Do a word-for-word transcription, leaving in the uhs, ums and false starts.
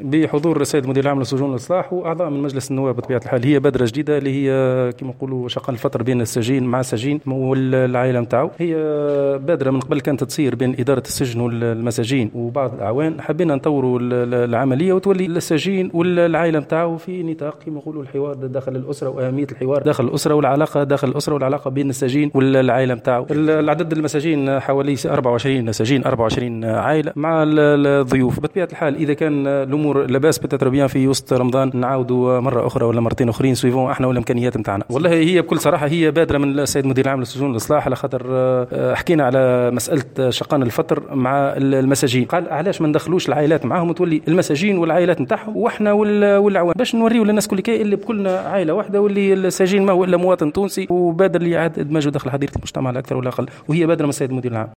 بحضور السيد المدير العام للسجون والاصلاح واعضاء من مجلس النواب. بطبيعة الحال هي بادره جديدة اللي هي كما نقولوا شقان الفطر بين السجين مع السجين والعائلة نتاعو. هي بادره من قبل كانت تصير بين ادارة السجن والمساجين وبعض الاعوان، حبينا نطوروا العملية وتولي السجين والعائلة نتاعو في نطاق كما نقولوا الحوار داخل الاسرة واهمية الحوار داخل الاسرة والعلاقة داخل الاسرة والعلاقة بين السجين والعائلة نتاعو. العدد المساجين حوالي أربعة وعشرين سجين، أربعة وعشرين عائلة مع الضيوف. بطبيعة الحال اذا كان الامور لاباس peut-être bien في وسط رمضان نعاودوا مرة اخرى ولا مرتين اخرين suivant احنا والامكانيات نتاعنا. والله هي بكل صراحة هي بادره من السيد المدير العام للسجون والاصلاح، على خاطر آه، حكينا على مسالة شقان الفطر مع المساجين، قال علاش ما ندخلوش العائلات معاهم وتولي المساجين والعائلات نتاعهم واحنا والاعوان باش نوريو للناس كل كي اللي بكلنا عائلة واحدة، واللي السجين ما هو الا مواطن تونسي وبادر لاعادة ادماجه داخل حظيرة المجتمع لا اكثر ولا اقل، وهي بادره من السيد المدير العام.